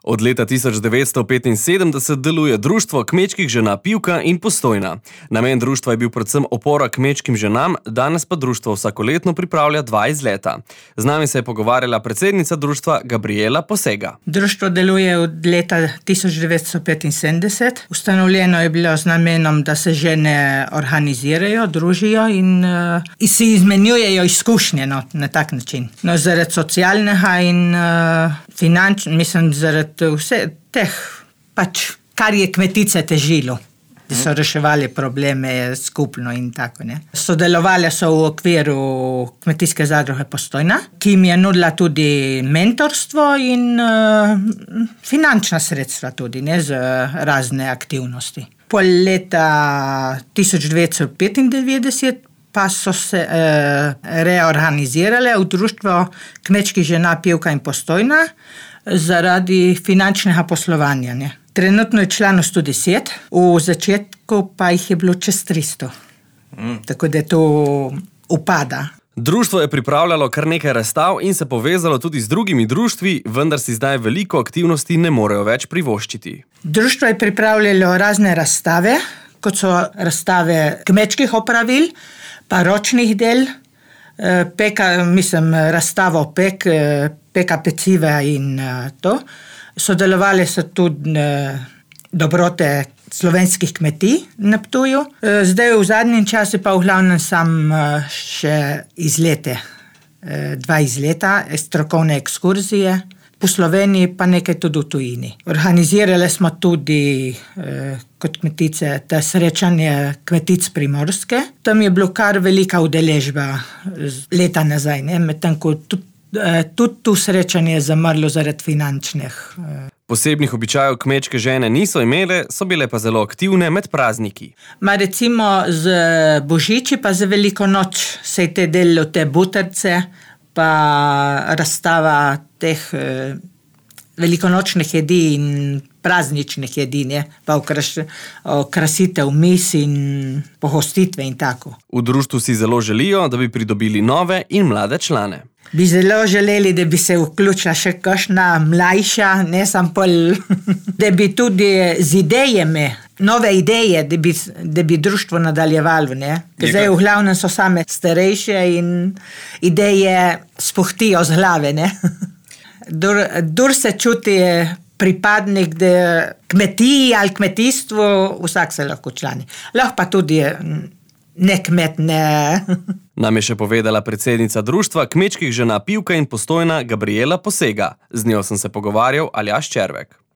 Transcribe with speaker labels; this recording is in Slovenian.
Speaker 1: Od leta 1975 deluje Društvo kmečkih žena Pivka in Postojna. Namen društva je bil predvsem opora kmečkim ženam, danes pa društvo vsakoletno pripravlja 2 izleta. Z nami se je pogovarjala predsednica društva Gabriela Posega.
Speaker 2: Društvo deluje od leta 1975. Ustanovljeno je bilo z namenom, da se žene organizirajo, družijo in si izmenjujejo izkušnje na tak način. No, zaradi socialnega in finančnega, zaradi vse teh, kar je kmetice težilo, da so reševali probleme skupno in tako, ne. Sodelovali so v okviru Kmetijske zadruge Postojna, ki jim je nudila tudi mentorstvo in finančna sredstva tudi, ne, z razne aktivnosti. Po leta 1995 pa so se reorganizirale v Društvo kmečkih žena Pivka in Postojna zaradi finančnega poslovanja, ne. Trenutno je članov 110, v začetku pa jih je bilo čez 300. Tako da to upada.
Speaker 1: Društvo je pripravljalo kar nekaj razstav in se povezalo tudi z drugimi društvi, vendar si zdaj veliko aktivnosti ne morejo več privoščiti.
Speaker 2: Društvo je pripravljalo razne razstave, kot so razstave kmečkih opravil, pa ročnih del, razstavo peka peciva in to. Sodelovali so tudi dobrote slovenskih kmetij na Ptuju. Zdaj v zadnjem času pa v glavnem sam še izlete. 2 izleta, strokovne ekskurzije. Po Sloveniji pa nekaj tudi v tujini. Organizirali smo tudi kot kmetice te srečanje kmetic Primorske. Tam je bilo kar velika udeležba leta nazaj, ne? Medtem ko tudi tu srečanje je zamrlo zaradi finančnih.
Speaker 1: Posebnih običajev kmečke žene niso imele, so bile pa zelo aktivne med prazniki.
Speaker 2: Recimo z Božiči pa za Veliko noč se je te delilo te buterce, pa razstava teh velikonočnih jedi in prazničnih jedi, ne, pa okrasitev mis in pohostitve in tako.
Speaker 1: V društvu si zelo želijo, da bi pridobili nove in mlade člane.
Speaker 2: Bi zelo želeli, da bi se vključila še kakšna mlajša, ne samo da bi tudi z idejami, nove ideje, da bi društvo nadaljevalo, ne. Zdaj v glavnem so same starejše in ideje spuhtijo z glave, ne. Dur se čuti pripadnik kmetiji ali kmetijstvu, vsak se lahko člani. Lahko pa tudi ne kmet, ne.
Speaker 1: Nam je še povedala predsednica društva kmečkih žena Pivka in Postojna Gabriela Posega. Z njo sem se pogovarjal Aljaž Červek.